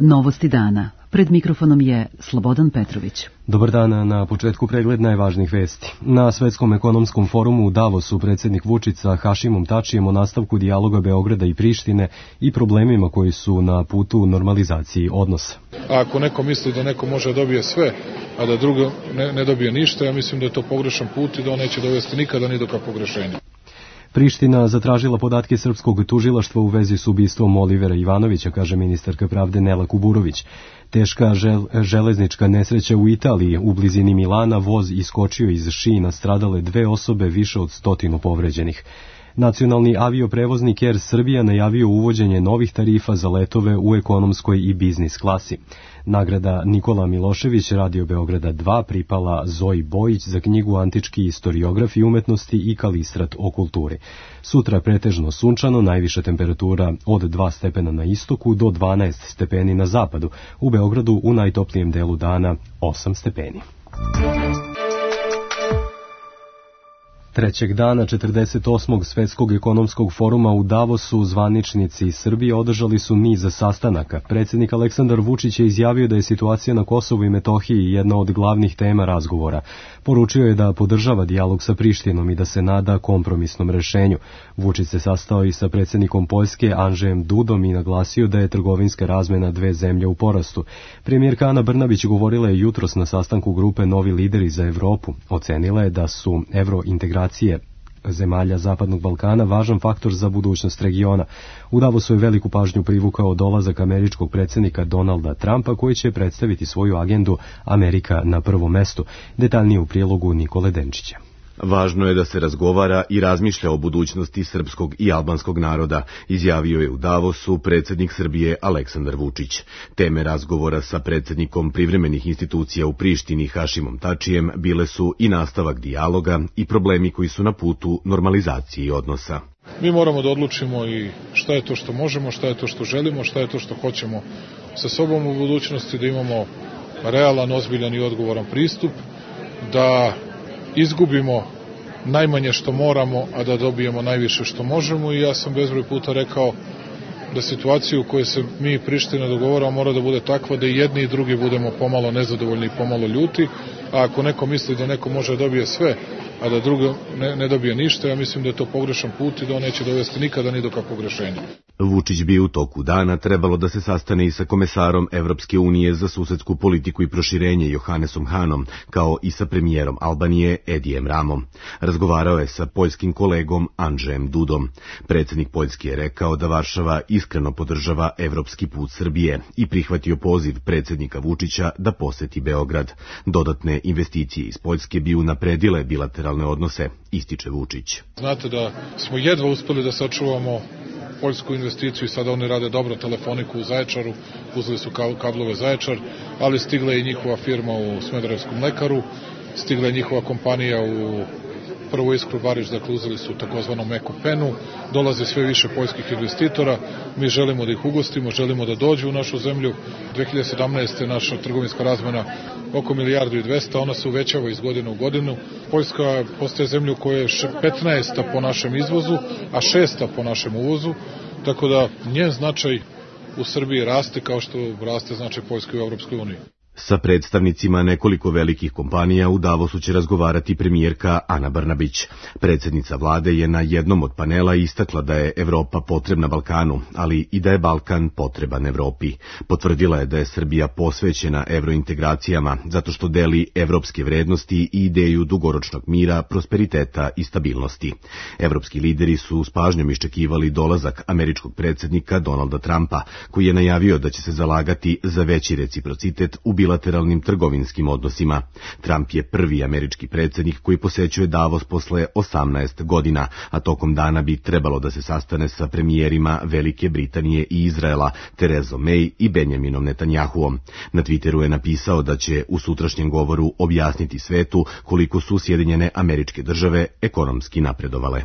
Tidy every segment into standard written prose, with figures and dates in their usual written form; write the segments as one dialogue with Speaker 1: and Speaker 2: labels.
Speaker 1: Novosti dana. Pred mikrofonom je Slobodan Petrović.
Speaker 2: Dobar dan, na početku pregled najvažnijih vesti. Na Svetskom ekonomskom forumu u Davosu predsjednik Vučić sa Hašimom Tačijem o nastavku dijaloga Beograda i Prištine i problemima koji su na putu normalizaciji odnosa.
Speaker 3: Ako neko misli da neko može da dobije sve, a da drugo ne dobije ništa, ja mislim da je to pogrešan put i da on neće dovesti nikada ni do kakvog rešenja.
Speaker 2: Priština zatražila podatke srpskog tužilaštva u vezi s ubistvom Olivera Ivanovića, kaže ministarka pravde Nela Kuburović. Teška železnička nesreća u Italiji, u blizini Milana, voz iskočio iz šina, stradale 2 osobe, više od 100 povređenih. Nacionalni avioprevoznik Air Srbija najavio uvođenje novih tarifa za letove u ekonomskoj i biznis klasi. Nagrada Nikola Milošević Radio Beograda 2 pripala Zoji Bojić za knjigu Antički istoriografi umetnosti i Kalistrat o kulturi. Sutra pretežno sunčano, najviša temperatura od 2 stepena na istoku do 12 stepeni na zapadu. U Beogradu u najtoplijem delu dana 8 stepeni. Trećeg dana 48. Svetskog ekonomskog foruma u Davosu zvaničnici Srbije održali su niz sastanaka. Predsjednik Aleksandar Vučić je izjavio da je situacija na Kosovu i Metohiji jedna od glavnih tema razgovora. Poručio je da podržava dijalog sa Prištinom i da se nada kompromisnom rešenju. Vučić se sastao i sa predsjednikom Poljske Andžejem Dudom i naglasio da je trgovinska razmena dve zemlje u porastu. Premijerka Ana Brnabić govorila je jutros na sastanku grupe Novi lideri za Evropu. Ocenila je da su evrointegracije zemalja Zapadnog Balkana važan faktor za budućnost regiona. U Davosu je veliku pažnju privukao dolazak američkog predsjednika Donalda Trumpa, koji će predstaviti svoju agendu Amerika na prvom mestu. Detaljnije u prilogu Nikole Denčića.
Speaker 4: Važno je da se razgovara i razmišlja o budućnosti srpskog i albanskog naroda, izjavio je u Davosu predsjednik Srbije Aleksandar Vučić. Teme razgovora sa predsjednikom privremenih institucija u Prištini Hašimom Tačijem bile su i nastavak dijaloga i problemi koji su na putu normalizaciji odnosa.
Speaker 3: Mi moramo da odlučimo i šta je to što možemo, šta je to što želimo, šta je to što hoćemo sa sobom u budućnosti, da imamo realan, ozbiljan i odgovoran pristup, da izgubimo najmanje što moramo, a da dobijemo najviše što možemo, i ja sam bezbroj puta rekao da situacija u kojoj se mi i Priština dogovaramo mora da bude takva da i jedni i drugi budemo pomalo nezadovoljni i pomalo ljuti, a ako neko misli da neko može da dobije sve, a da drugo ne dobije ništa, ja mislim da je to pogrešan put i da on neće dovesti nikada ni do kakvog rešenja.
Speaker 4: Vučić bi u toku dana trebalo da se sastane i sa komesarom Evropske unije za susedsku politiku i proširenje Johannesom Hanom, kao i sa premijerom Albanije Edijem Ramom. Razgovarao je sa poljskim kolegom Andžejem Dudom. Predsjednik Poljske je rekao da Varšava iskreno podržava evropski put Srbije i prihvatio poziv predsjednika Vučića da poseti Beograd. Dodatne investicije iz Poljske bi unapredile bilateralne odnose, ističe Vučić.
Speaker 3: Znate da smo jedva uspeli da sačuvamo poljsku investiciju i sada oni rade dobro telefoniku u Zaječaru, uzeli su kablove Zaječar, ali stigla je i njihova firma u Smederevskom mlekaru, stigla je njihova kompanija u Prvu Iskru Bariš, dakle uzeli su takozvanom meku penu, dolaze sve više poljskih investitora, mi želimo da ih ugostimo, želimo da dođu u našu zemlju. 2017. je naša trgovinska razmena oko 1,2 milijarde, ona se uvećava iz godine u godinu. Poljska postaje zemlju koja je 15. po našem izvozu, a 6. po našem uvozu, tako da njen značaj u Srbiji raste kao što raste značaj Poljske u Evropskoj uniji.
Speaker 4: Sa predstavnicima nekoliko velikih kompanija u Davosu će razgovarati premijerka Ana Brnabić. Predsjednica vlade je na jednom od panela istakla da je Evropa potrebna Balkanu, ali i da je Balkan potreban Evropi. Potvrdila je da je Srbija posvećena evrointegracijama zato što deli evropske vrednosti i ideju dugoročnog mira, prosperiteta i stabilnosti. Evropski lideri su s pažnjom iščekivali dolazak američkog predsjednika Donalda Trumpa, koji je najavio da će se zalagati za veći reciprocitet u bilateralnim trgovinskim odnosima. Trump je prvi američki predsjednik koji posećuje Davos posle 18 godina, a tokom dana bi trebalo da se sastane sa premijerima Velike Britanije i Izraela, Terezom May i Benjaminom Netanjahuom. Na Twitteru je napisao da će u sutrašnjem govoru objasniti svetu koliko su Sjedinjene Američke Države ekonomski napredovale.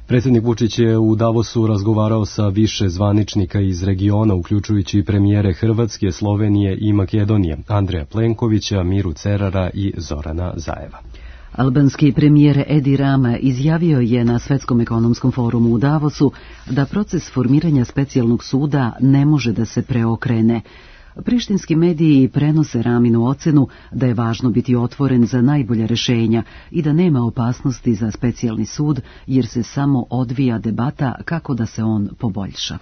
Speaker 2: Predsjednik Vučić je u Davosu razgovarao sa više zvaničnika iz regiona, uključujući premijere Hrvatske, Slovenije i Makedonije, Andreja Plenkovića, Miru Cerara i Zorana Zajeva.
Speaker 1: Albanski premijer Edi Rama izjavio je na Svetskom ekonomskom forumu u Davosu da proces formiranja specijalnog suda ne može da se preokrene. Prištinski mediji prenose Raminu ocenu da je važno biti otvoren za najbolja rešenja i da nema opasnosti za specijalni sud jer se samo odvija debata kako da se on poboljša.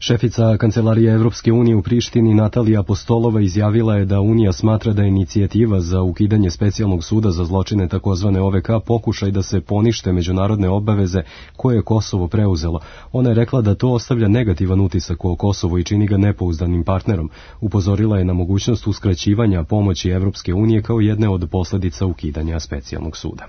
Speaker 2: Šefica Kancelarije Evropske unije u Prištini Natalija Apostolova izjavila je da Unija smatra da je inicijativa za ukidanje specijalnog suda za zločine takozvane OVK pokušaj da se ponište međunarodne obaveze koje je Kosovo preuzelo. Ona je rekla da to ostavlja negativan utisak o Kosovo i čini ga nepouzdanim partnerom. Upozorila je na mogućnost uskraćivanja pomoći Evropske unije kao jedne od posledica ukidanja specijalnog suda.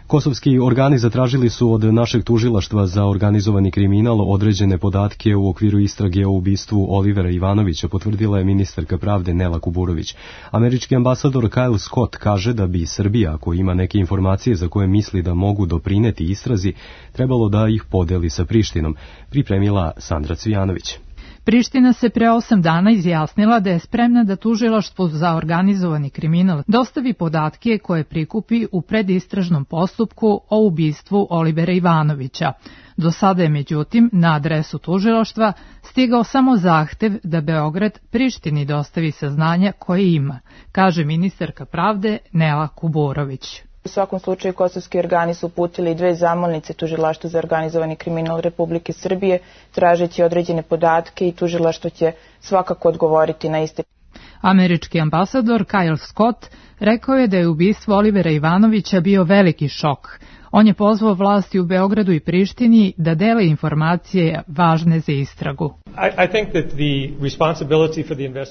Speaker 2: Kosovski organi zatražili su od našeg tužilaštva za organizovani kriminal određene podatke u okviru istrage o ubistvu Olivera Ivanovića, potvrdila je ministarka pravde Nela Kuburović. Američki ambasador Kyle Scott kaže da bi Srbija, ako ima neke informacije za koje misli da mogu doprineti istrazi, trebalo da ih podeli sa Prištinom, pripremila Sandra Cvijanović.
Speaker 5: Priština se pre 8 dana izjasnila da je spremna da tužilaštvu za organizovani kriminal dostavi podatke koje prikupi u predistražnom postupku o ubistvu Olivera Ivanovića. Do sada je, međutim, na adresu tužilaštva stigao samo zahtev da Beograd Prištini dostavi saznanja koje ima, kaže ministarka pravde Nela Kuburović.
Speaker 6: U svakom slučaju kosovski organi su uputili 2 zamolnice tužilaštvu za organizovani kriminal Republike Srbije, tražeći određene podatke i tužilaštvo će svakako odgovoriti na iste.
Speaker 5: Američki ambasador Kyle Scott rekao je da je ubistvo Olivera Ivanovića bio veliki šok. On je pozvao vlasti u Beogradu i Prištini da dele informacije važne za istragu.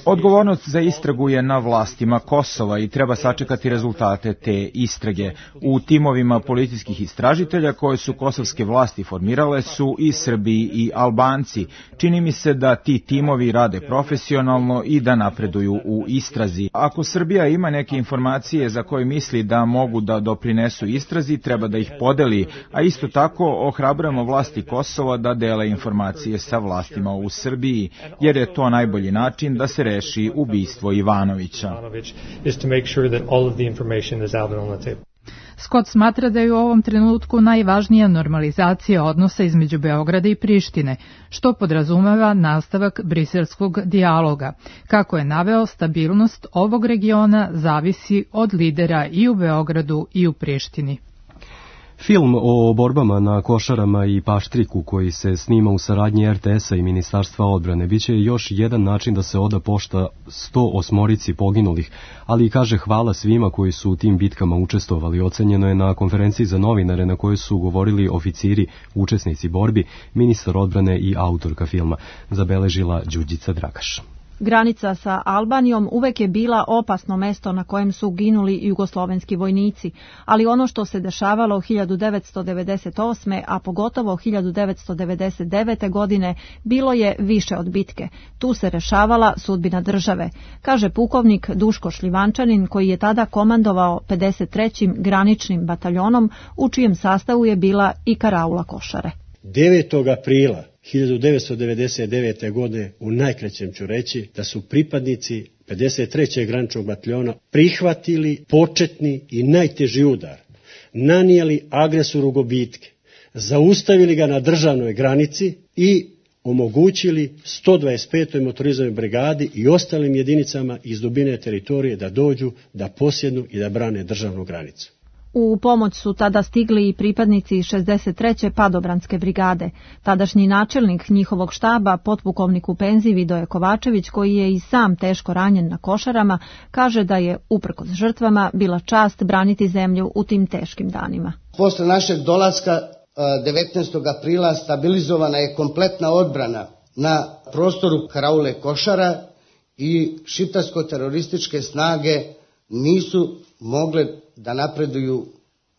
Speaker 7: Odgovornost za istragu je na vlastima Kosova i treba sačekati rezultate te istrage. U timovima policijskih istražitelja koje su kosovske vlasti formirale su i Srbi i Albanci. Čini mi se da ti timovi rade profesionalno i da napreduju u istrazi. Ako Srbija ima neke informacije za koje misli da mogu da doprinesu istrazi, treba da ih podeli, a isto tako ohrabrujemo vlasti Kosova da dele informacije sa vlastima u Srbiji, jer je to najbolji način da se reši ubistvo Ivanovića.
Speaker 5: Scott smatra da je u ovom trenutku najvažnija normalizacija odnosa između Beograda i Prištine, što podrazumeva nastavak briselskog dijaloga. Kako je naveo, stabilnost ovog regiona zavisi od lidera i u Beogradu i u Prištini.
Speaker 2: Film o borbama na Košarama i Paštriku koji se snima u saradnji RTS-a i Ministarstva odbrane biće još jedan način da se oda pošta 108 poginulih, ali i kaže hvala svima koji su u tim bitkama učestvovali. Ocenjeno je na konferenciji za novinare na kojoj su govorili oficiri, učesnici borbi, ministar odbrane i autorka filma, zabeležila Đurđica Dragaš.
Speaker 8: Granica sa Albanijom uvek je bila opasno mesto na kojem su ginuli jugoslovenski vojnici, ali ono što se dešavalo 1998. a pogotovo 1999. godine bilo je više od bitke. Tu se rešavala sudbina države, kaže pukovnik Duško Šljivančanin koji je tada komandovao 53. graničnim bataljonom u čijem sastavu je bila i karaula Košare.
Speaker 9: 9. aprila 1999. godine, u najkraćem ću reći, da su pripadnici 53. graničnog bataljona prihvatili početni i najteži udar, nanijeli agresoru gubitke, zaustavili ga na državnoj granici i omogućili 125. motorizovanoj brigadi i ostalim jedinicama iz dubine teritorije da dođu, da posjednu i da brane državnu granicu.
Speaker 8: U pomoć su tada stigli i pripadnici 63. padobranske brigade. Tadašnji načelnik njihovog štaba, potpukovnik u penziji Vidoje Kovačević, koji je i sam teško ranjen na Košarama, kaže da je, uprkos žrtvama, bila čast braniti zemlju u tim teškim danima.
Speaker 10: Posle našeg dolaska 19. aprila stabilizovana je kompletna odbrana na prostoru karaule Košara i šiptarsko-terorističke snage nisu mogle da napreduju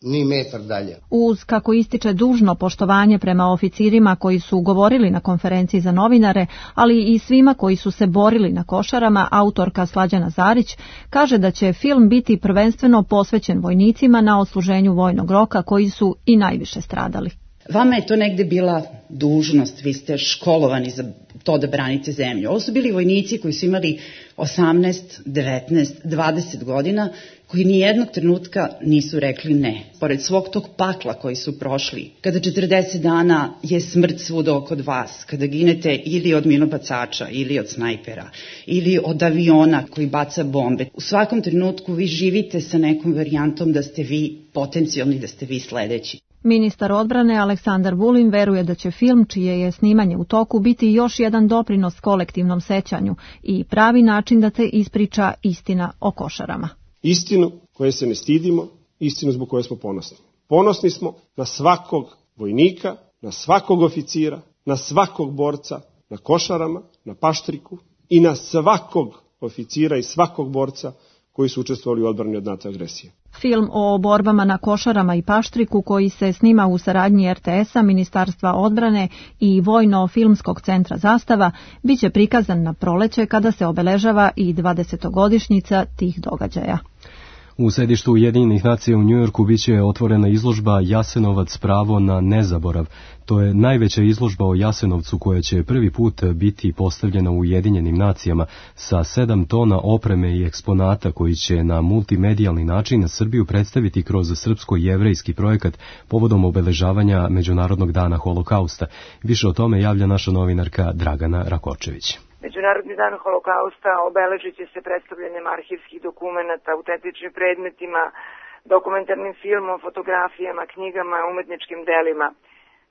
Speaker 10: ni metar dalje.
Speaker 8: Uz, kako ističe, dužno poštovanje prema oficirima koji su govorili na konferenciji za novinare, ali i svima koji su se borili na Košarama, autorka Slađana Zarić kaže da će film biti prvenstveno posvećen vojnicima na odsluženju vojnog roka koji su i najviše stradali.
Speaker 11: Vama je to negde bila dužnost, vi ste školovani za to da branite zemlju. Ovo su bili vojnici koji su imali 18, 19, 20 godina, koji ni jednog trenutka nisu rekli ne. Pored svog tog pakla koji su prošli, kada 40 dana je smrt svuda oko vas, kada ginete ili od minobacača, ili od snajpera, ili od aviona koji baca bombe, u svakom trenutku vi živite sa nekom varijantom da ste vi potencijalni, da ste vi sledeći.
Speaker 8: Ministar odbrane Aleksandar Vulin veruje da će film, čije je snimanje u toku, biti još jedan doprinos kolektivnom sećanju i pravi način da se ispriča istina o Košarama.
Speaker 12: Istinu koje se ne stidimo, istinu zbog koje smo ponosni. Ponosni smo na svakog vojnika, na svakog oficira, na svakog borca, na Košarama, na Paštriku i na svakog oficira i svakog borca koji su učestvovali u odbrani od NATO agresije.
Speaker 8: Film o borbama na Košarama i Paštriku, koji se snima u saradnji RTS-a, Ministarstva odbrane i Vojno-filmskog centra Zastava, biće prikazan na proleće kada se obeležava i 20-godišnjica tih događaja.
Speaker 2: U sedištu Ujedinjenih nacija u Njujorku biće otvorena izložba Jasenovac pravo na nezaborav. To je najveća izložba o Jasenovcu koja će prvi put biti postavljena u Ujedinjenim nacijama sa 7 tona opreme i eksponata koji će na multimedijalni način Srbiju predstaviti kroz srpsko-jevrejski projekat povodom obeležavanja Međunarodnog dana holokausta. Više o tome javlja naša novinarka Dragana Rakočević.
Speaker 13: Međunarodni dan holokausta obeležit će se predstavljanjem arhivskih dokumenata, autentičnim predmetima, dokumentarnim filmom, fotografijama, knjigama, umetničkim delima.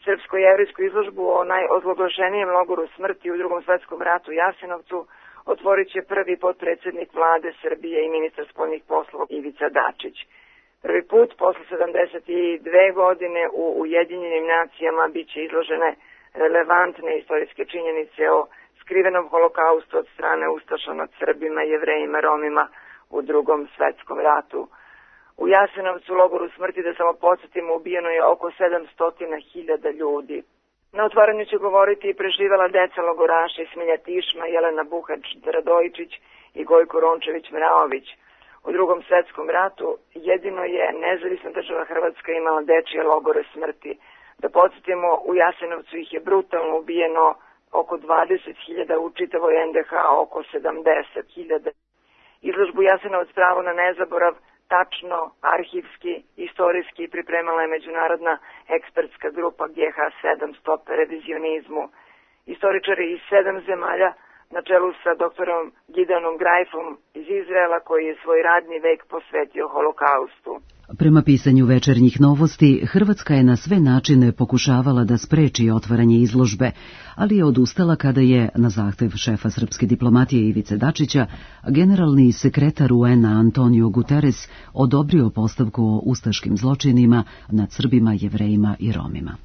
Speaker 13: Srpsko-jevrijsku izložbu o najozloglašenijem logoru smrti u Drugom svetskom ratu Jasenovcu otvorit će prvi potpredsednik vlade Srbije i ministar spoljnih poslova Ivica Dačić. Prvi put posle 72 godine u Ujedinjenim nacijama biće izložene relevantne istorijske činjenice o skrivenom holokaustu od strane ustaša nad Srbima, Jevrejima, Romima u Drugom svetskom ratu. U Jasenovcu, logoru smrti, da samo podsjetimo, ubijeno je oko 700.000 ljudi. Na otvaranju će govoriti i preživela deca logoraša Smilja Tišma, Jelena Buhač-Radojičić i Gojko Rončević-Mraović. U Drugom svetskom ratu jedino je nezavisna država Hrvatska imala dečije logore smrti. Da podsjetimo, u Jasenovcu ih je brutalno ubijeno oko 20.000, u čitavoj NDH oko 70.000. Izložbu Jasenovac pravo na nezaborav tačno, arhivski, istorijski pripremala je međunarodna ekspertska grupa GH7 Stop revizionizmu. Istoričari iz 7 zemalja na čelu sa doktorom Gideonom Grajfom iz Izraela, koji je svoj radni vek posvetio holokaustu.
Speaker 1: Prema pisanju Večernjih novosti, Hrvatska je na sve načine pokušavala da spreči otvaranje izložbe, ali je odustala kada je, na zahtev šefa srpske diplomatije Ivice Dačića, generalni sekretar UN-a Antonio Guterres odobrio postavku o ustaškim zločinima nad Srbima, Jevrejima i Romima.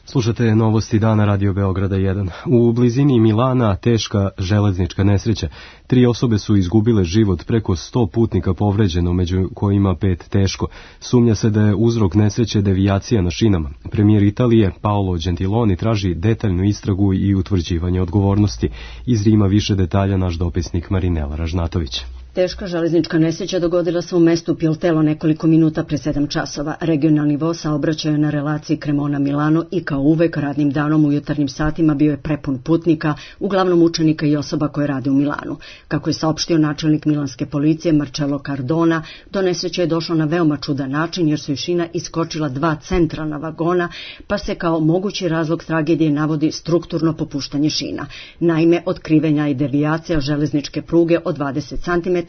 Speaker 2: Slušate novosti dana Radio Beograda 1. U blizini Milana teška železnička nesreća. 3 osobe su izgubile život, preko 100 putnika povređeno, među kojima 5 teško. Sumnja se da je uzrok nesreće devijacija na šinama. Premijer Italije Paolo Gentiloni traži detaljnu istragu i utvrđivanje odgovornosti. Iz Rima više detalja naš dopisnik Marinela Ražnatović.
Speaker 14: Teška železnička nesreća dogodila se u mestu Piltelo nekoliko minuta pre 7 časova. Regionalni voz saobraćaja na relaciji Cremona-Milano i kao uvek radnim danom u jutarnjim satima bio je prepun putnika, uglavnom učenika i osoba koje rade u Milanu. Kako je saopštio načelnik milanske policije Marcello Cardona, do nesreće je došlo na veoma čudan način jer su iz šina iskočila 2 centralna vagona, pa se kao mogući razlog tragedije navodi strukturno popuštanje šina. Naime, otkrivenja i devijacija železničke pruge od 20 cm,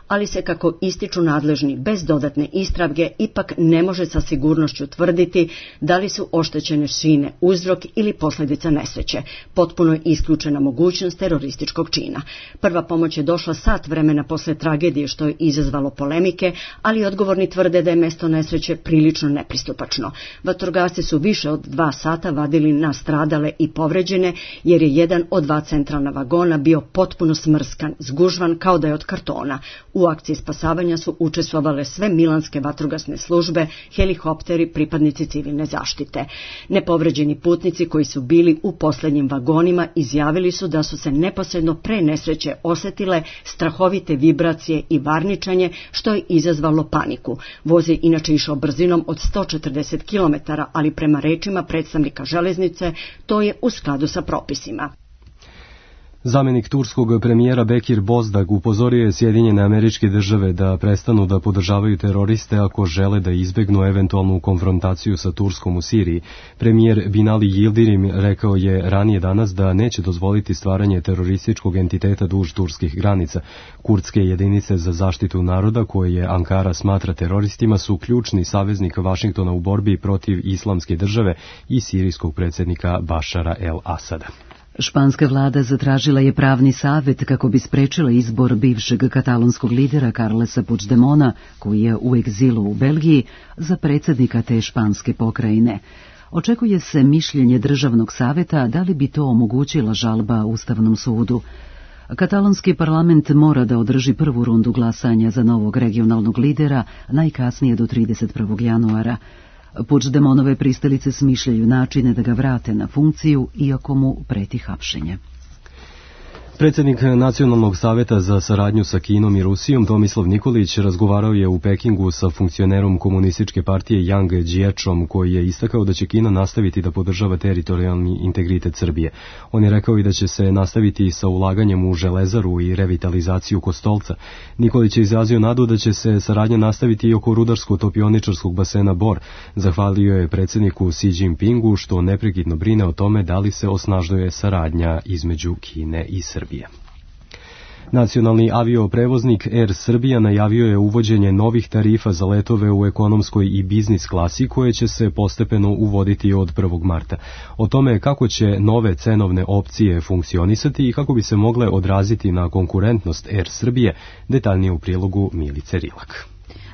Speaker 14: ali se, kako ističu nadležni, bez dodatne istrage ipak ne može sa sigurnošću tvrditi da li su oštećene šine uzrok ili posljedica nesreće. Potpuno je isključena mogućnost terorističkog čina. Prva pomoć je došla sat vremena posle tragedije, što je izazvalo polemike, ali odgovorni tvrde da je mesto nesreće prilično nepristupačno. Vatrogasci su više od 2 sata vadili nastradale i povređene, jer je jedan od 2 centralna vagona bio potpuno smrskan, zgužvan kao da je od kartona. Puigdemona. U akciji spasavanja su učestvovale sve milanske vatrogasne službe, helikopteri, pripadnici civilne zaštite. Nepovređeni putnici koji su bili u posljednjim vagonima izjavili su da su se neposredno pre nesreće osetile strahovite vibracije i varničanje, što je izazvalo paniku. Voz je inače išao brzinom od 140 km, ali prema rečima predstavnika železnice to je u skladu sa propisima.
Speaker 2: Zamjenik turskog premijera Bekir Bozdag upozorio je Sjedinjene Američke Države da prestanu da podržavaju teroriste ako žele da izbegnu eventualnu konfrontaciju sa Turskom u Siriji. Premijer Binali Yildirim rekao je ranije danas da neće dozvoliti stvaranje terorističkog entiteta duž turskih granica. Kurdske jedinice za zaštitu naroda, koje je Ankara smatra teroristima, su ključni saveznik Vašingtona u borbi protiv Islamske države i sirijskog predsjednika Bašara el-Asada.
Speaker 1: Španska vlada zatražila je pravni savjet kako bi sprečila izbor bivšeg katalonskog lidera Carlesa Puigdemona, koji je u egzilu u Belgiji, za predsjednika te španske pokrajine. Očekuje se mišljenje državnog savjeta da li bi to omogućila žalba Ustavnom sudu. Katalonski parlament mora da održi prvu rundu glasanja za novog regionalnog lidera najkasnije do 31. januara. Puigdemonove pristalice smišljaju načine da ga vrate na funkciju, iako mu preti hapšenje.
Speaker 2: Predsjednik Nacionalnog savjeta za saradnju sa Kinom i Rusijom Tomislav Nikolić razgovarao je u Pekingu sa funkcionerom komunističke partije Yang Jiećom, koji je istakao da će Kina nastaviti da podržava teritorijalni integritet Srbije. On je rekao i da će se nastaviti sa ulaganjem u železaru i revitalizaciju Kostolca. Nikolić je izrazio nadu da će se saradnja nastaviti i oko rudarsko-topioničarskog basena Bor. Zahvalio je predsjedniku Xi Jinpingu što neprekidno brine o tome da li se osnažuje saradnja između Kine i Srbije. Nacionalni avioprevoznik Air Srbija najavio je uvođenje novih tarifa za letove u ekonomskoj i biznis klasi koje će se postepeno uvoditi od 1. marta. O tome kako će nove cenovne opcije funkcionisati i kako bi se mogle odraziti na konkurentnost Air Srbije, detaljnije u prilogu Milice Rilak.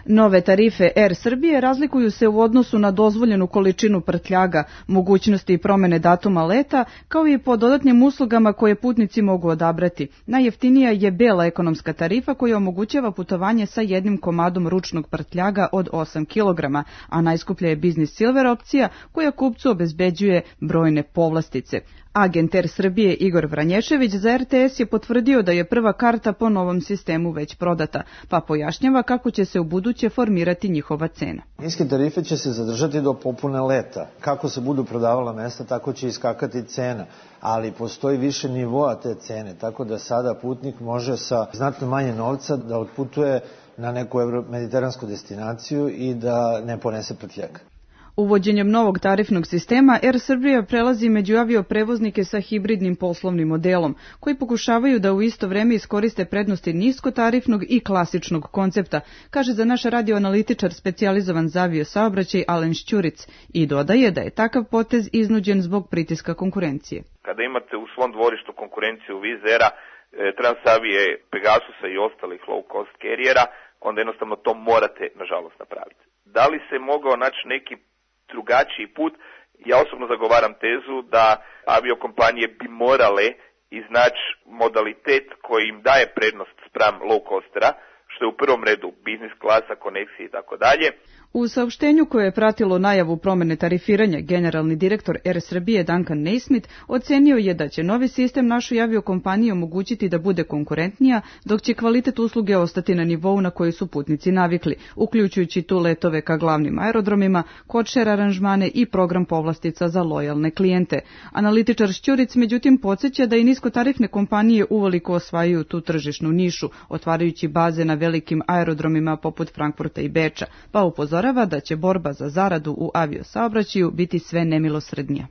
Speaker 15: Nove tarife Air Srbije razlikuju se u odnosu na dozvoljenu količinu prtljaga, mogućnosti i promene datuma leta, kao i po dodatnim uslugama koje putnici mogu odabrati. Najjeftinija je bela ekonomska tarifa koja omogućava putovanje sa jednim komadom ručnog prtljaga od 8 kg, a najskuplja je Business Silver opcija koja kupcu obezbeđuje brojne povlastice. Agent Air Srbije Igor Vranješević za RTS je potvrdio da je prva karta po novom sistemu već prodata, pa pojašnjava kako će se u buduće formirati njihova cena.
Speaker 16: Niske tarife će se zadržati do popune leta. Kako se budu prodavala mesta, tako će iskakati cena, ali postoji više nivoa te cene, tako da sada putnik može sa znatno manje novca da otputuje na neku mediteransku destinaciju i da ne ponese prtljag.
Speaker 15: Uvođenjem novog tarifnog sistema Air Srbija prelazi među avioprevoznike sa hibridnim poslovnim modelom, koji pokušavaju da u isto vreme iskoriste prednosti niskotarifnog i klasičnog koncepta, kaže za naš radioanalitičar specijalizovan za aviosaobraćaj Alen Šćuric, i dodaje da je takav potez iznuđen zbog pritiska konkurencije.
Speaker 17: Kada imate u svom dvorištu konkurenciju Wizz Aira, Transavije, Pegasusa i ostalih low cost carriera, onda jednostavno to morate nažalost napraviti. Da li se mogao naći neki drugačiji put? Ja osobno zagovaram tezu da aviokompanije bi morale iznaći modalitet koji im daje prednost spram low costera, što je u prvom redu biznis klasa, koneksije i tako dalje.
Speaker 15: U saopštenju koje je pratilo najavu promene tarifiranja, generalni direktor Air Srbije Duncan Naismith ocenio je da će novi sistem našoj aviokompaniji omogućiti da bude konkurentnija, dok će kvalitet usluge ostati na nivou na koji su putnici navikli, uključujući tu letove ka glavnim aerodromima, codeshare aranžmane i program povlastica za lojalne klijente. Analitičar Šćuric međutim podsjeća da i niskotarifne kompanije uveliko osvajaju tu tržišnu nišu, otvarajući baze na velikim aerodromima poput Frankfurta i Beča, pa upozorava da će borba za zaradu u aviosaobraćaju biti sve nemilosrednija.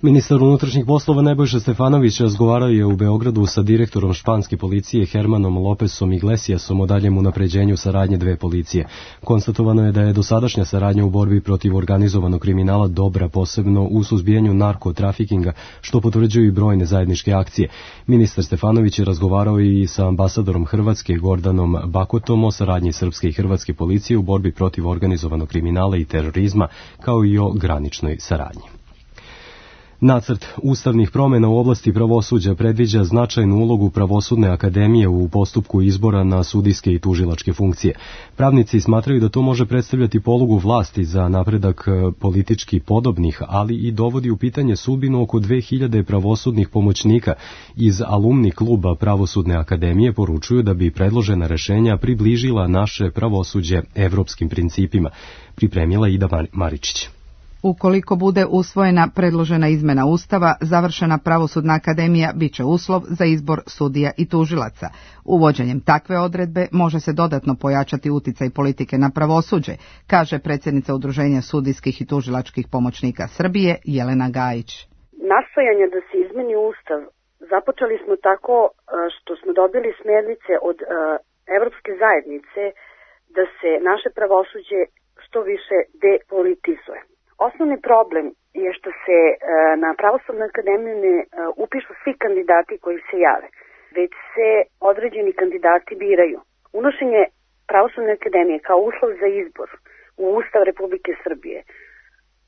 Speaker 2: Ministar unutrašnjih poslova Nebojša Stefanović razgovarao je u Beogradu sa direktorom španske policije Hermanom Lopesom Iglesiasom o daljem unapređenju saradnje dve policije. Konstatovano je da je dosadašnja saradnja u borbi protiv organizovanog kriminala dobra, posebno u suzbijanju narkotrafikinga, što potvrđuju i brojne zajedničke akcije. Ministar Stefanović je razgovarao i sa ambasadorom Hrvatske Gordanom Bakotom o saradnji srpske i hrvatske policije u borbi protiv organizovanog kriminala i terorizma, kao i o graničnoj saradnji. Nacrt ustavnih promjena u oblasti pravosuđa predviđa značajnu ulogu Pravosudne akademije u postupku izbora na sudijske i tužilačke funkcije. Pravnici smatraju da to može predstavljati polugu vlasti za napredak politički podobnih, ali i dovodi u pitanje sudbinu oko 2000 pravosudnih pomoćnika. Iz alumni kluba Pravosudne akademije poručuju da bi predložena rešenja približila naše pravosuđe evropskim principima. Pripremila Ida Maričić.
Speaker 18: Ukoliko bude usvojena predložena izmena Ustava, završena Pravosudna akademija bit će uslov za izbor sudija i tužilaca. Uvođenjem takve odredbe može se dodatno pojačati uticaj politike na pravosuđe, kaže predsjednica Udruženja sudijskih i tužilačkih pomoćnika Srbije Jelena Gajić.
Speaker 19: Nastojanje da se izmeni Ustav započeli smo tako što smo dobili smjernice od Evropske zajednice da se naše pravosuđe što više depolitizuje. Osnovni problem je što se na Pravosudnu akademiju ne upišu svi kandidati koji se jave, već se određeni kandidati biraju. Unošenje Pravosudne akademije kao uslov za izbor u Ustav Republike Srbije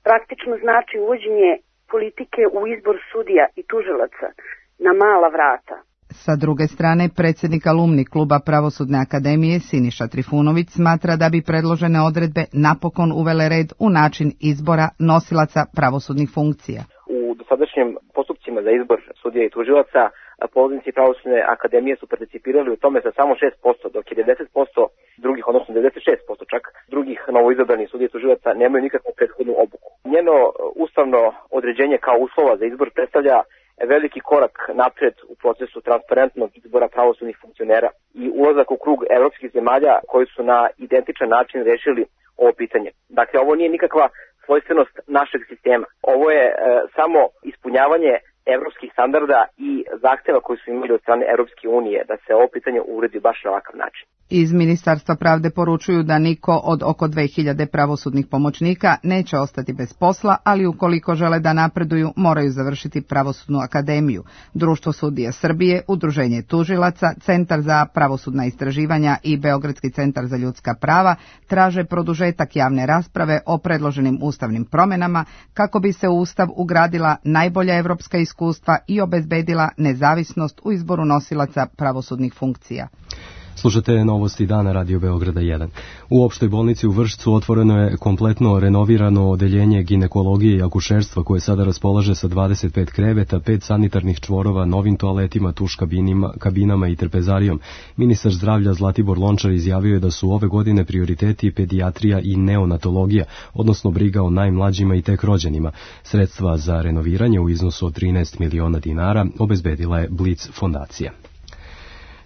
Speaker 19: praktično znači uvođenje politike u izbor sudija i tužilaca na mala vrata.
Speaker 18: Sa druge strane, predsjednik alumni kluba Pravosudne akademije Siniša Trifunović smatra da bi predložene odredbe napokon uvele red u način izbora nosilaca pravosudnih funkcija.
Speaker 20: U dosadašnjim postupcima za izbor sudija i tužilaca polaznici Pravosudne akademije su participirali u tome sa samo 6%, dok je 90% drugih, odnosno 96% čak drugih novoizabranih sudija i tužilaca nemaju nikakvu prethodnu obuku. Njeno ustavno određenje kao uslova za izbor predstavlja veliki korak napred u procesu transparentnog izbora pravosudnih funkcionera i ulazak u krug evropskih zemalja koji su na identičan način rešili ovo pitanje. Dakle, ovo nije nikakva svojstvenost našeg sistema. Ovo je samo ispunjavanje evropskih standarda i zahteva koji su imali od strane Evropske unije da se ovo pitanje uredi baš na ovakav način.
Speaker 18: Iz Ministarstva pravde poručuju da niko od oko 2000 pravosudnih pomoćnika neće ostati bez posla, ali ukoliko žele da napreduju, moraju završiti Pravosudnu akademiju. Društvo sudija Srbije, Udruženje tužilaca, Centar za pravosudna istraživanja i Beogradski centar za ljudska prava traže produžetak javne rasprave o predloženim ustavnim promjenama kako bi se u Ustav ugradila najbolja evropska iskustva i obezbedila nezavisnost u izboru nosilaca pravosudnih funkcija.
Speaker 2: Slušate novosti dana Radio Beograda 1. U opštoj bolnici u Vršcu otvoreno je kompletno renovirano odeljenje ginekologije i akušerstva koje sada raspolaže sa 25 kreveta, 5 sanitarnih čvorova, novim toaletima, tuš kabinama i trpezarijom. Ministar zdravlja Zlatibor Lončar izjavio je da su ove godine prioriteti pedijatrija i neonatologija, odnosno briga o najmlađima i tek rođenima. Sredstva za renoviranje u iznosu od 13 miliona dinara obezbedila je Blic fondacija.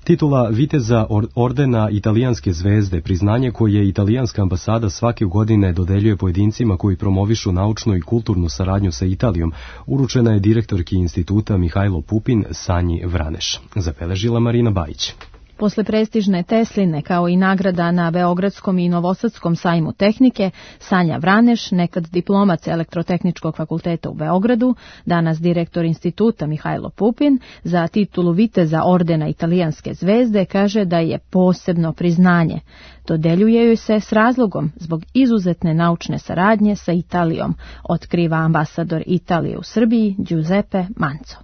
Speaker 2: Titula viteza ordena Italijanske zvezde, priznanje koje italijanska ambasada svake godine dodeljuje pojedincima koji promovišu naučnu i kulturnu saradnju sa Italijom, uručena je direktorki instituta Mihajlo Pupin Sanji Vraneš. Zabeležila Marina Bajić.
Speaker 21: Posle prestižne Tesline kao i nagrada na Beogradskom i Novosadskom sajmu tehnike, Sanja Vraneš, nekad diplomac Elektrotehničkog fakulteta u Beogradu, danas direktor instituta Mihajlo Pupin, za titulu viteza ordena Italijanske zvezde kaže da je posebno priznanje. Dodeljuje joj se s razlogom zbog izuzetne naučne saradnje sa Italijom, otkriva ambasador Italije u Srbiji Giuseppe Manco.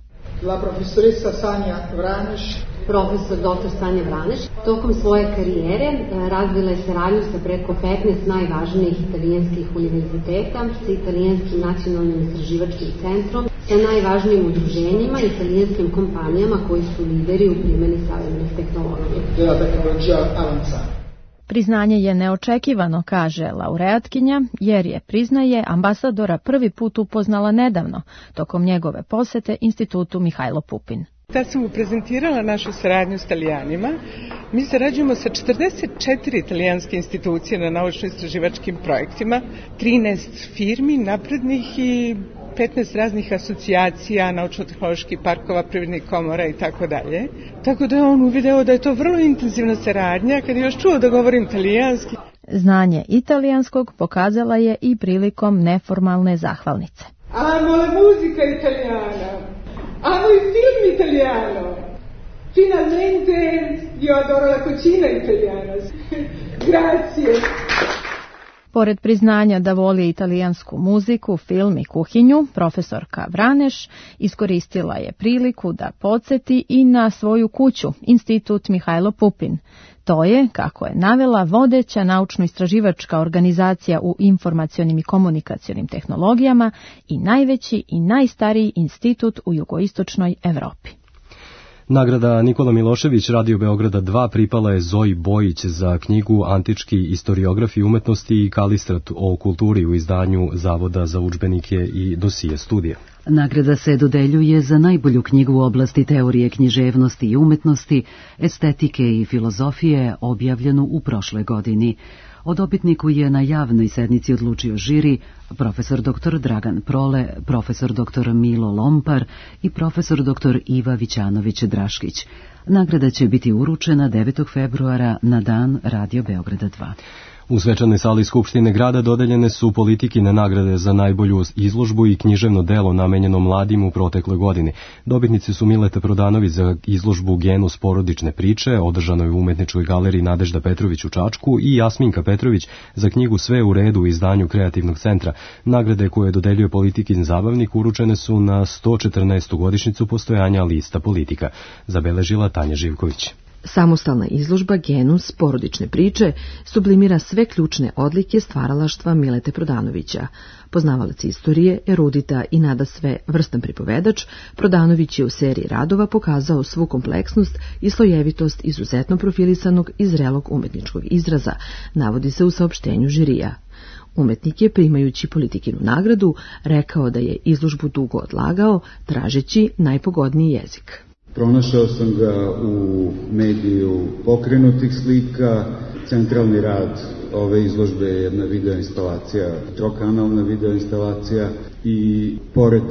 Speaker 22: La profesoressa Sanja Vraneš.
Speaker 23: Profesor dr. Sanja Vraneš tokom svoje karijere razvila je saradnju sa preko 15 najvažnijih italijanskih univerziteta, sa Italijanskim nacionalnim istraživačkim centrom, sa najvažnijim udruženjima i italijanskim kompanijama koji su lideri u primjeni savremenih tehnologija.
Speaker 21: Priznanje je neočekivano, kaže laureatkinja, jer je, priznaje, ambasadora prvi put upoznala nedavno, tokom njegove posete institutu Mihajlo Pupin.
Speaker 24: Tad sam mu prezentirala našu saradnju s Italijanima. Mi sarađujemo sa 44 italijanske institucije na naučno-istraživačkim projektima, 13 firmi naprednih i 15 raznih asocijacija, naučno-tehnoloških parkova, privrednih komora i tako dalje. Tako da je on uvideo da je to vrlo intenzivna saradnja, kad je još čuo da govorim italijanski.
Speaker 21: Znanje italijanskog pokazala je i prilikom neformalne zahvalnice.
Speaker 22: Amo la musica italiana, amo il film italiano, finalmente io adoro la cucina italiana. Grazie.
Speaker 21: Pored priznanja da voli italijansku muziku, film i kuhinju, profesorka Vraneš iskoristila je priliku da podsjeti i na svoju kuću, Institut Mihajlo Pupin. To je, kako je navela, vodeća naučno-istraživačka organizacija u informacionim i komunikacionim tehnologijama i najveći i najstariji institut u jugoistočnoj Evropi.
Speaker 2: Nagrada Nikola Milošević Radio Beograda 2 pripala je Zoji Bojić za knjigu Antički istoriografi umetnosti i Kalistrat o kulturi u izdanju Zavoda za udžbenike i dosije studije.
Speaker 1: Nagrada se dodeljuje za najbolju knjigu u oblasti teorije književnosti i umetnosti, estetike i filozofije, objavljenu u prošloj godini. O dobitniku je na javnoj sednici odlučio žiri profesor dr. Dragan Prole, profesor dr. Milo Lompar i profesor dr. Iva Vićanović-Draškić. Nagrada će biti uručena 9. februara na dan Radio Beograda 2.
Speaker 2: U svečanoj sali Skupštine grada dodeljene su politikine nagrade za najbolju izložbu i književno delo namenjeno mladim u protekloj godini. Dobitnici su Mileta Prodanović za izložbu Genus porodične priče, održanoj u Umetničkoj galeriji Nadežda Petrović u Čačku, i Jasminka Petrović za knjigu Sve u redu u izdanju Kreativnog centra. Nagrade koje dodeljuje politikin zabavnik uručene su na 114. godišnjicu postojanja lista politika, zabeležila Tanja Živković.
Speaker 3: Samostalna izložba Genus porodične priče sublimira sve ključne odlike stvaralaštva Milete Prodanovića. Poznavalac istorije, erudita i nadasve vrstan pripovedač, Prodanović je u seriji radova pokazao svu kompleksnost i slojevitost izuzetno profilisanog i zrelog umetničkog izraza, navodi se u saopštenju žirija. Umetnik je, primajući politikinu nagradu, rekao da je izložbu dugo odlagao, tražeći najpogodniji jezik.
Speaker 4: Pronašao sam ga u mediju pokrenutih slika. Centralni rad ove izložbe je jedna videoinstalacija, trokanalna videoinstalacija, i pored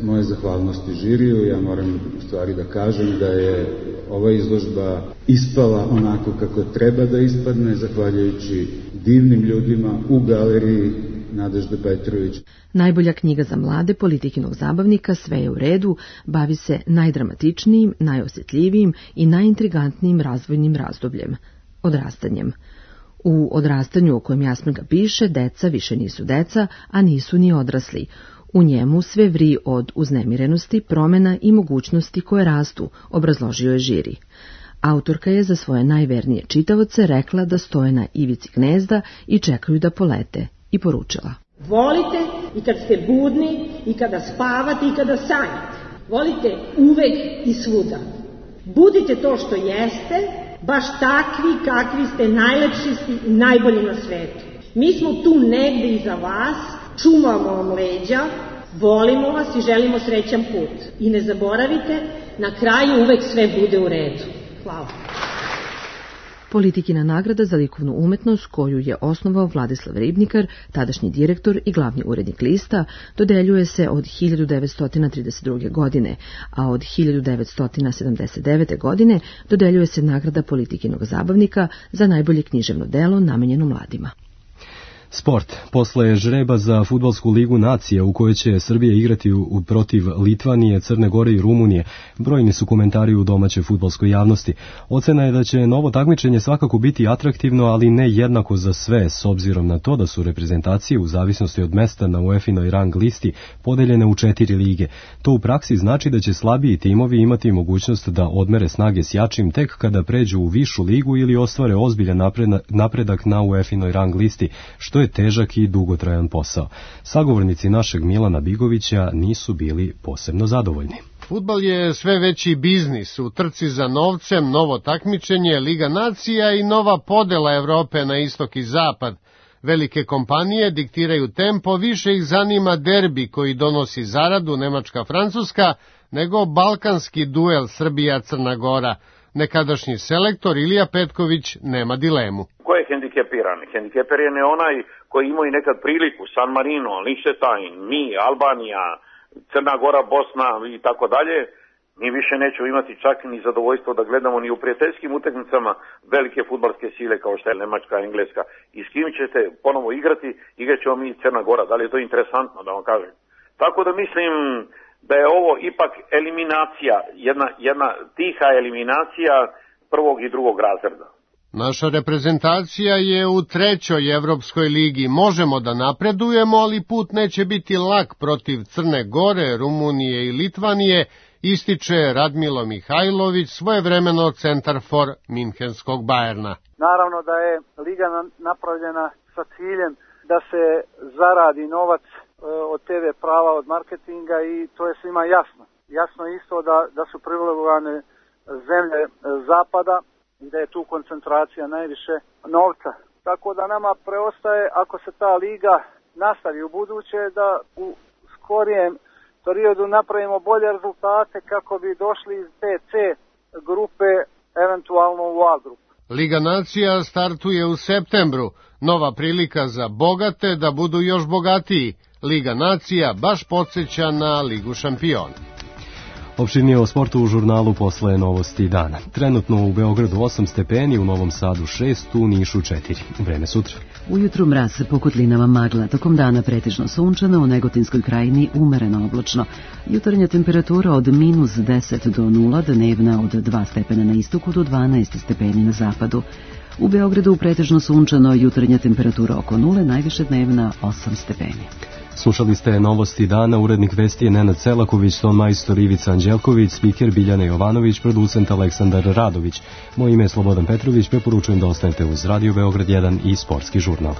Speaker 4: moje zahvalnosti žiriju, ja moram u stvari da kažem da je ova izložba ispala onako kako treba da ispadne, zahvaljujući divnim ljudima u galeriji Nadežda Petrović.
Speaker 3: Najbolja knjiga za mlade politikinog zabavnika Sve je u redu bavi se najdramatičnijim, najosjetljivijim i najintrigantnijim razvojnim razdobljem – odrastanjem. U odrastanju o kojem Jasminka piše, deca više nisu deca, a nisu ni odrasli. U njemu sve vri od uznemirenosti, promjena i mogućnosti koje rastu, obrazložio je žiri. Autorka je za svoje najvernije čitaoce rekla da stoje na ivici gnezda i čekaju da polete, i poručila:
Speaker 6: volite i kad ste budni, i kada spavate, i kada sanjate. Volite uvek i svuda. Budite to što jeste, baš takvi kakvi ste, najlepši i najbolji na svetu. Mi smo tu negde iza vas, čuvamo vam leđa, volimo vas i želimo srećan put. I ne zaboravite, na kraju uvek sve bude u redu. Hvala.
Speaker 3: Politikina nagrada za likovnu umetnost, koju je osnovao Vladislav Ribnikar, tadašnji direktor i glavni urednik lista, dodeljuje se od 1932. godine, a od 1979. godine dodeljuje se nagrada politikinog zabavnika za najbolje književno delo namenjeno mladima.
Speaker 2: Sport. Posle žreba za fudbalsku ligu nacija u kojoj će Srbija igrati protiv Litvanije, Crne Gore i Rumunije, brojni su komentari u domaćoj fudbalskoj javnosti. Ocena je da će novo takmičenje svakako biti atraktivno, ali ne jednako za sve, s obzirom na to da su reprezentacije u zavisnosti od mesta na UEFA-inoj rang listi podeljene u 4 lige. To u praksi znači da će slabiji timovi imati mogućnost da odmere snage s jačim tek kada pređu u višu ligu ili ostvare ozbiljan napredak na UEFA-inoj rang listi, što je težak i dugotrajan posao. Sagovornici našeg Milana Bigovića nisu bili posebno zadovoljni.
Speaker 7: Fudbal je sve veći biznis, u trci za novcem, novo takmičenje, Liga nacija i nova podela Evrope na istok i zapad. Velike kompanije diktiraju tempo, više ih zanima derbi koji donosi zaradu Nemačka-Francuska, nego balkanski duel Srbija-Crna Gora. Nekadašnji selektor Ilija Petković nema dilemu.
Speaker 25: Ko je hendikepiran? Hendikepiran je onaj koji imao i nekad priliku, San Marino, Liechtenstein, mi, Albanija, Crna Gora, Bosna i tako dalje. Mi više nećemo imati čak ni zadovoljstvo da gledamo ni u prijateljskim utakmicama velike fudbalske sile kao što je Nemačka, Engleska. I s kim ćete ponovo igrati, igrat ćemo mi i Crna Gora. Da li je to interesantno da vam kažem? Tako da mislim da je ovo ipak eliminacija, jedna tiha eliminacija prvog i drugog razreda.
Speaker 7: Naša reprezentacija je u 3. Evropskoj ligi. Možemo da napredujemo, ali put neće biti lak protiv Crne Gore, Rumunije i Litvanije, ističe Radmilo Mihajlović, svojevremeno centarfor minhenskog Bajerna.
Speaker 5: Naravno da je liga napravljena sa ciljem da se zaradi novac od TV prava, od marketinga i to je svima jasno. Jasno je isto da su privilegovane zemlje zapada i da je tu koncentracija najviše novca. Tako da nama preostaje, ako se ta liga nastavi u buduće, da u skorijem periodu napravimo bolje rezultate kako bi došli iz te C grupe eventualno u A grupu.
Speaker 7: Liga nacija startuje u septembru. Nova prilika za bogate da budu još bogatiji. Liga nacija baš podsjeća na Ligu šampiona.
Speaker 2: Opširnije o sportu u žurnalu posle novosti dana. Trenutno u Beogradu 8 stepeni, u Novom Sadu 6, u Nišu 4. Vreme sutra.
Speaker 1: Ujutru mraz, po kotlinama magla, tokom dana pretežno sunčano, u Negotinskoj krajini umereno oblačno. Jutarnja temperatura od -10 do 0, dnevna od 2 stepena na istoku do 12 stepeni na zapadu. U Beogradu pretežno sunčano, jutarnja temperatura oko 0, najviše dnevna 8 stepeni.
Speaker 2: Slušali ste novosti dana, urednik vesti je Nenad Selaković, ton majstor Ivica Anđelković, spiker Biljana Jovanović, producent Aleksandar Radović. Moje ime je Slobodan Petrović, preporučujem da ostanete uz Radio Beograd 1 i Sportski žurnal.